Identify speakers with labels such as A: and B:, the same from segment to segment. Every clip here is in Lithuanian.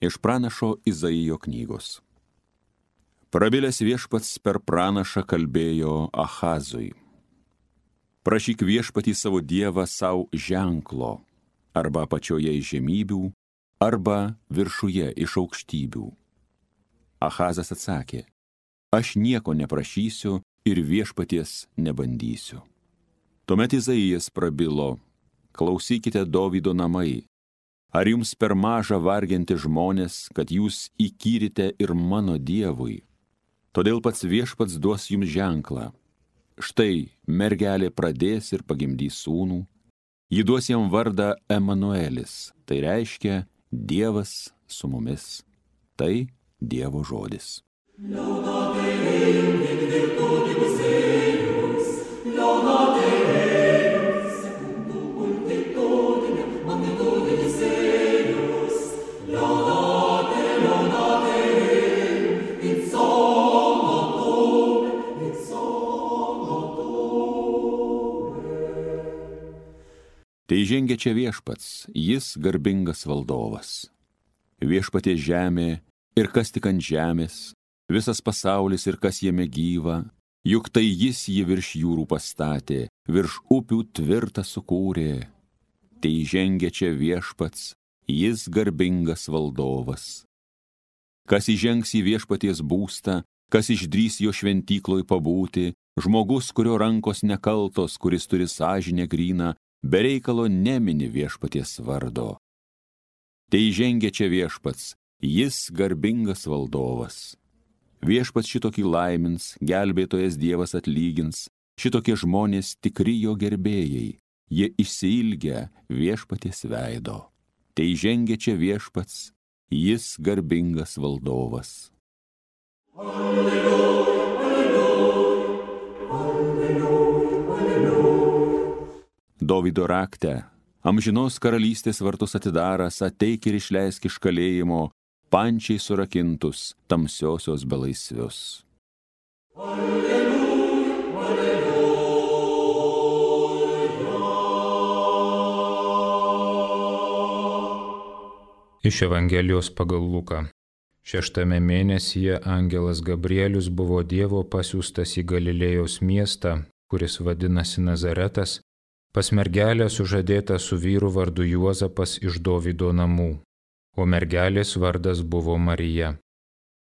A: Iš pranašo Izaijo knygos. Prabilęs viešpats per pranašą kalbėjo Ahazui. Prašyk viešpatį savo dievą savo ženklo, arba apačioje iš žemybių, arba viršuje iš aukštybių. Ahazas atsakė, aš nieko neprašysiu ir viešpaties nebandysiu. Tuomet Izaijas prabilo, klausykite Dovydo namai, ar jums per maža varginti žmonės, kad jūs įkyrite ir mano dievui? Todėl pats viešpats duos jums ženklą. Štai mergelė pradės ir pagimdys sūnų, ji duos jam vardą Emanuelis, tai reiškia Dievas su mumis. Tai Dievo žodis. Tai žengia čia viešpats, jis garbingas valdovas. Viešpaties žemė ir kas tik ant žemės, visas pasaulis ir kas jame gyva, juk tai jis jį virš jūrų pastatė, virš upių tvirtą sukūrė. Tai žengia čia viešpats, jis garbingas valdovas. Kas įžengs į viešpaties būstą, kas išdrys jo šventykloj pabūti, žmogus, kurio rankos nekaltos, kuris turi sąžinę gryną, be reikalo nemini viešpaties vardo. Tai žengia čia viešpats, jis garbingas valdovas. Viešpats šitokį laimins, gelbėtojas Dievas atlygins, šitokie žmonės tikri jo gerbėjai, jie išsiilgia viešpaties veido. Tai žengia čia viešpats, jis garbingas valdovas. Alleluja, alleluja, alleluja, alleluja. Dovydo rakte, amžinos karalystės vartus atidaras, ateik ir išleisk iš kalėjimo, pančiai surakintus, tamsiosios belaisvius. Alleluja, alleluja.
B: Iš Evangelijos pagal Luką. 6 mėnesyje angelas Gabrielius buvo Dievo pasiųstas į Galilėjos miestą, kuris vadinasi Nazaretas, pas mergelę sužadėtą su vyru vardu Juozapas iš Dovydo namų, o mergelės vardas buvo Marija.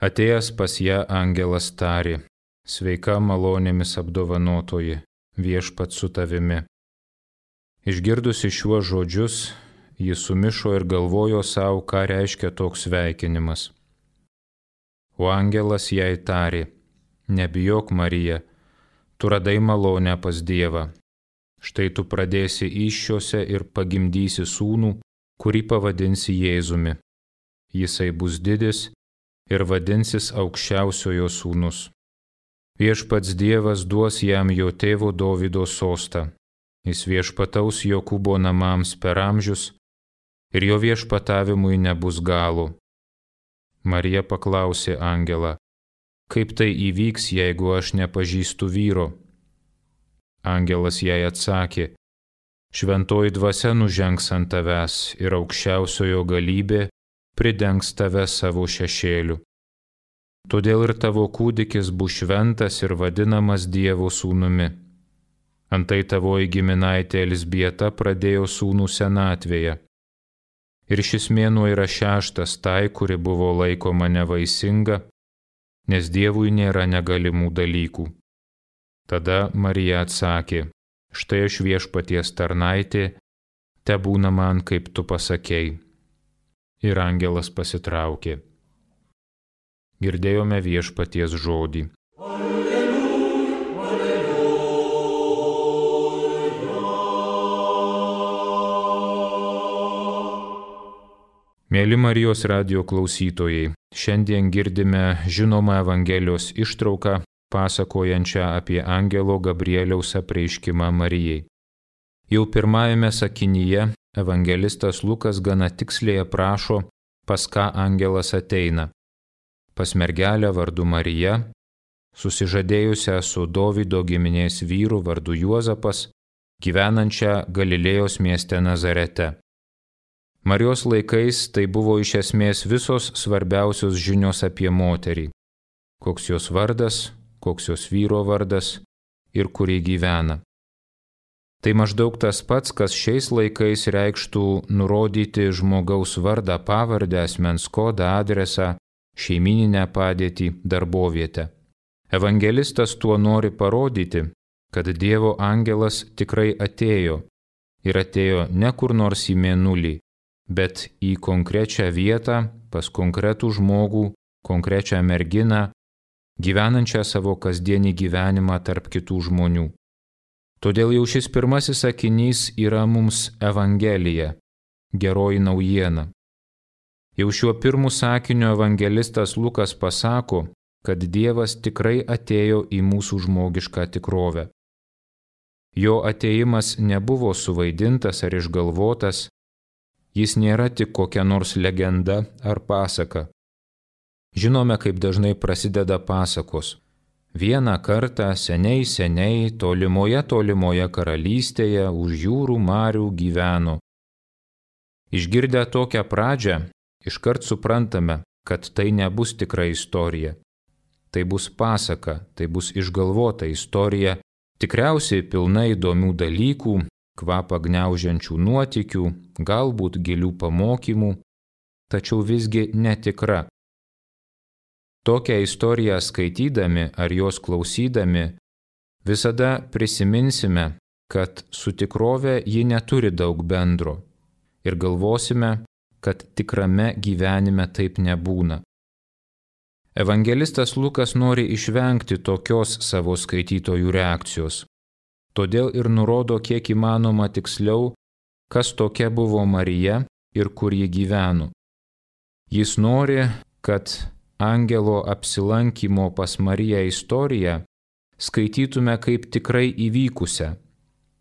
B: Atėjęs pas ją angelas tarė, sveika malonėmis apdovanotoji, viešpats su tavimi. Išgirdusi šiuos žodžius, ji sumišo ir galvojo savo, ką reiškia toks sveikinimas. O angelas jai tarė, nebijok Marija, tu radai malonę pas Dievą. Štai tu pradėsi įsčiose ir pagimdysi sūnų, kurį pavadinsi Jėzumi. Jisai bus didis ir vadinsis aukščiausiojo sūnus. Viešpats Dievas duos jam jo tėvo Dovydo sostą. Jis viešpataus Jokūbo namams per amžius ir jo viešpatavimui nebus galo. Marija paklausė angelą, kaip tai įvyks, jeigu aš nepažįstu vyro? Angelas jai atsakė, šventoji dvasia nužengs ant tavęs ir aukščiausiojo galybė pridengs tave savo šešėliu. Todėl ir tavo kūdikis bus šventas ir vadinamas Dievo sūnumi. Antai tavoji giminaitė Elzbieta pradėjo sūnų senatvėje. Ir šis mėnuo yra 6 tai, kuri buvo laikoma nevaisinga, nes Dievui nėra negalimų dalykų. Tada Marija atsakė, štai aš viešpaties tarnaitė, tebūna man, kaip tu pasakei. Ir angelas pasitraukė. Girdėjome viešpaties žodį.
C: Alleluja, alleluja.
B: Mėly Marijos radijo klausytojai, šiandien girdime žinomą Evangelijos ištrauką, pasakojančią apie angelo Gabrieliaus apreiškimą Marijai. Jau pirmajame sakinyje evangelistas Lukas gana tiksliai aprašo, pas ką angelas ateina. Pas mergelę vardu Marija, susižadėjusią su Dovydo giminės vyru vardu Juozapas, gyvenančią Galilėjos mieste Nazarete. Marijos laikais tai buvo iš esmės visos svarbiausios žinios apie moterį. Koks jos vardas, koks jos vyro vardas ir kur ji gyvena. Tai maždaug tas pats, kas šiais laikais reikštų nurodyti žmogaus vardą, pavardę, asmens kodą, adresą, šeimyninę padėtį, darbovietę. Evangelistas tuo nori parodyti, kad Dievo angelas tikrai atėjo ir atėjo ne kur nors į mėnulį, bet į konkrečią vietą, pas konkretų žmogų, konkrečią merginą, gyvenančią savo kasdienį gyvenimą tarp kitų žmonių. Todėl jau šis pirmasis sakinys yra mums Evangelija, geroji naujiena. Jau šiuo pirmu sakiniu evangelistas Lukas pasako, kad Dievas tikrai atėjo į mūsų žmogišką tikrovę. Jo atėjimas nebuvo suvaidintas ar išgalvotas, jis nėra tik kokia nors legenda ar pasaka. Žinome, kaip dažnai prasideda pasakos. Vieną kartą seniai tolimoje karalystėje už jūrų marių gyveno. Išgirdę tokią pradžią, iškart suprantame, kad tai nebus tikra istorija. Tai bus pasaka, tai bus išgalvota istorija, tikriausiai pilna įdomių dalykų, kvapą gniaužiančių nuotykių, galbūt gilių pamokymų, tačiau visgi netikra. Tokią istoriją skaitydami ar jos klausydami visada prisiminsime, kad su tikrove ji neturi daug bendro ir galvosime, kad tikrame gyvenime taip nebūna. Evangelistas Lukas nori išvengti tokios savo skaitytojų reakcijos. Todėl ir nurodo kiek įmanoma tiksliau, kas tokia buvo Marija ir kur ji gyveno. Jis nori, kad angelo apsilankymo pas Mariją istoriją skaitytume kaip tikrai įvykusią,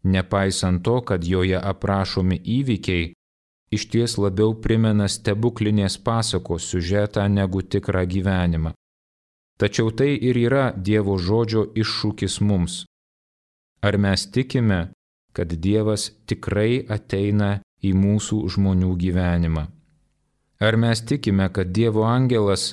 B: nepaisant to, kad joje aprašomi įvykiai išties labiau primena stebuklinės pasakos siužetą negu tikrą gyvenimą. Tačiau tai ir yra Dievo žodžio iššūkis mums. Ar mes tikime, kad Dievas tikrai ateina į mūsų žmonių gyvenimą? Ar mes tikime, kad Dievo angelas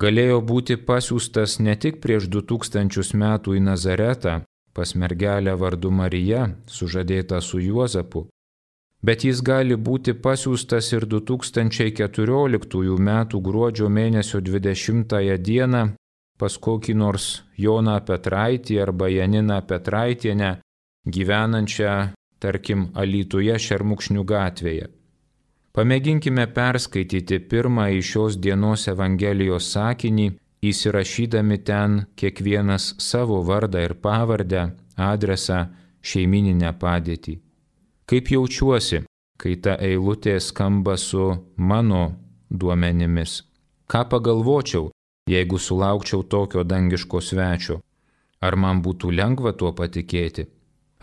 B: galėjo būti pasiųstas ne tik prieš 2000 metų į Nazaretą pas mergelę vardu Marija, sužadėtą su Juozapu, bet jis gali būti pasiųstas ir 2014 metų gruodžio mėnesio 20 dieną pas kokį nors Joną Petraitį arba Janiną Petraitienę, gyvenančią, tarkim, Alytuje Šermukšnių gatvėje. Pamėginkime perskaityti pirmąjį šios dienos Evangelijos sakinį, įsirašydami ten kiekvienas savo vardą ir pavardę, adresą, šeimyninę padėtį. Kaip jaučiuosi, kai ta eilutė skamba su mano duomenimis? Ką pagalvočiau, jeigu sulaukčiau tokio dangiško svečio? Ar man būtų lengva tuo patikėti?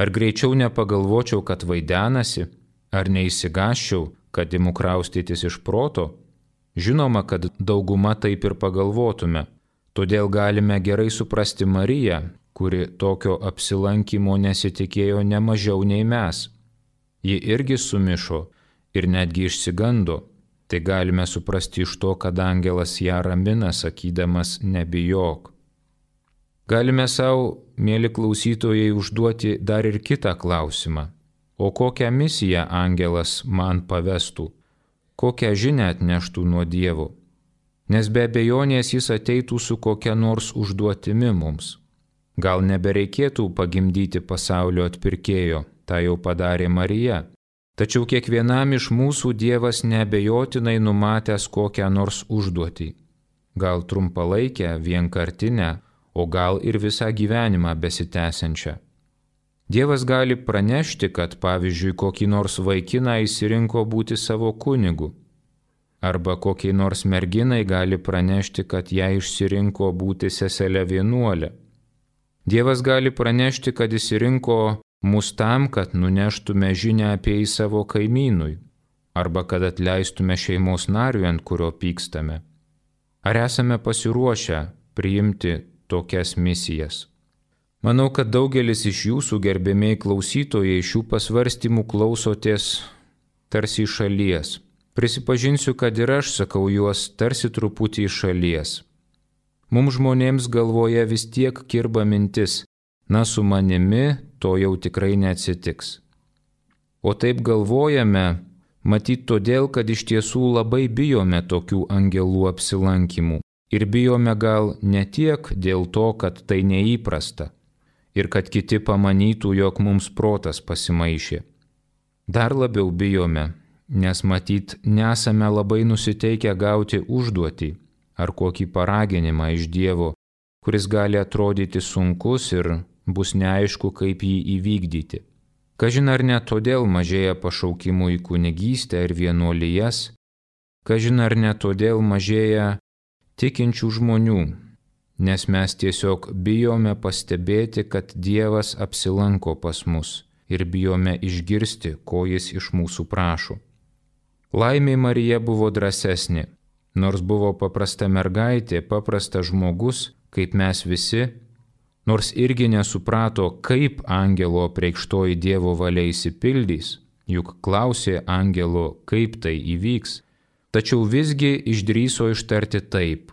B: Ar greičiau nepagalvočiau, kad vaidenasi? Ar neįsigąsčiau, kad imu kraustytis iš proto? Žinoma, kad dauguma taip ir pagalvotume. Todėl galime gerai suprasti Mariją, kuri tokio apsilankymo nesitikėjo ne mažiau nei mes. Ji irgi sumišo ir netgi išsigando. Tai galime suprasti iš to, kad angelas ją ramina, sakydamas nebijok. Galime savo, mėly klausytojai, užduoti dar ir kitą klausimą. O kokią misiją angelas man pavestų? Kokią žinią atneštų nuo Dievo? Nes be abejonės jis ateitų su kokia nors užduotimi mums. Gal nebereikėtų pagimdyti pasaulio atpirkėjo, tą jau padarė Marija. Tačiau kiekvienam iš mūsų Dievas neabejotinai numatęs kokią nors užduotį. Gal trumpalaikę, vienkartinę, o gal ir visą gyvenimą besitęsiančią. Dievas gali pranešti, kad pavyzdžiui kokį nors vaikiną išsirinko būti savo kunigu. Arba kokiai nors merginai gali pranešti, kad ją išsirinko būti seselę vienuolę. Dievas gali pranešti, kad išsirinko mus tam, kad nuneštume žinią apie jį savo kaimynui. Arba kad atleistume šeimos nariui, ant kurio pykstame. Ar esame pasiruošę priimti tokias misijas? Manau, kad daugelis iš jūsų, gerbėmiai klausytojai, šių pasvarstymų klausotės tarsi iš šalies, Prisipažinsiu, kad ir aš sakau juos tarsi truputį iš šalies. Mums žmonėms galvoje vis tiek kirba mintis, na su manimi to jau tikrai neatsitiks. O taip galvojame, matyt todėl, kad iš tiesų labai bijome tokių angelų apsilankymų. Ir bijome gal ne tiek dėl to, kad tai neįprasta ir kad kiti pamanytų, jog mums protas pasimaišė. Dar labiau bijome, nes matyt nesame labai nusiteikę gauti užduotį ar kokį paraginimą iš Dievo, kuris gali atrodyti sunkus ir bus neaišku, kaip jį įvykdyti. Kažin ar ne todėl mažėja pašaukimų į kunigystę ir vienuolijas, kažin ar ne todėl mažėja tikinčių žmonių, nes mes tiesiog bijome pastebėti, kad Dievas apsilanko pas mus ir bijome išgirsti, ko jis iš mūsų prašo. Laimei Marija buvo drąsesnė, nors buvo paprasta mergaitė, paprastas žmogus, kaip mes visi, nors irgi nesuprato, kaip angelo apreikštoji Dievo valia išsipildys, juk klausė angelo, kaip tai įvyks, tačiau visgi išdrįso ištarti taip.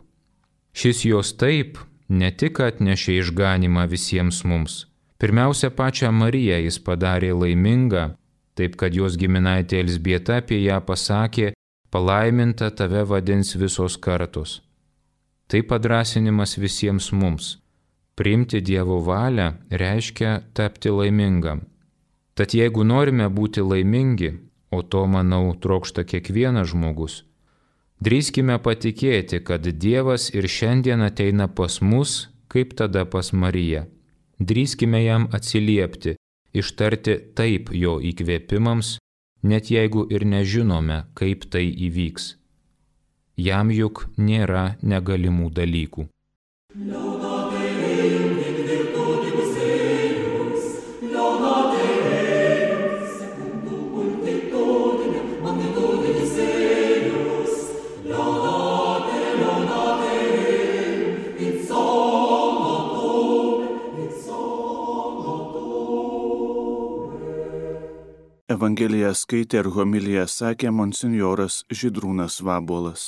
B: Šis jos taip ne tik atnešė išganimą visiems mums, pirmiausia pačią Mariją jis padarė laimingą, taip kad jos giminaitė Elzbieta apie ją pasakė, palaiminta tave vadins visos kartos. Tai padrąsinimas visiems mums. Priimti Dievo valią reiškia tapti laimingam. Tad jeigu norime būti laimingi, o to, manau, trokšta kiekvienas žmogus, drįskime patikėti, kad Dievas ir šiandien ateina pas mus, kaip tada pas Mariją. Drįskime jam atsiliepti, ištarti taip jo įkvėpimams, net jeigu ir nežinome, kaip tai įvyks. Jam juk nėra negalimų dalykų.
D: Evangeliją skaitė ir homiliją sakė monsinjoras Žydrūnas Vabuolas.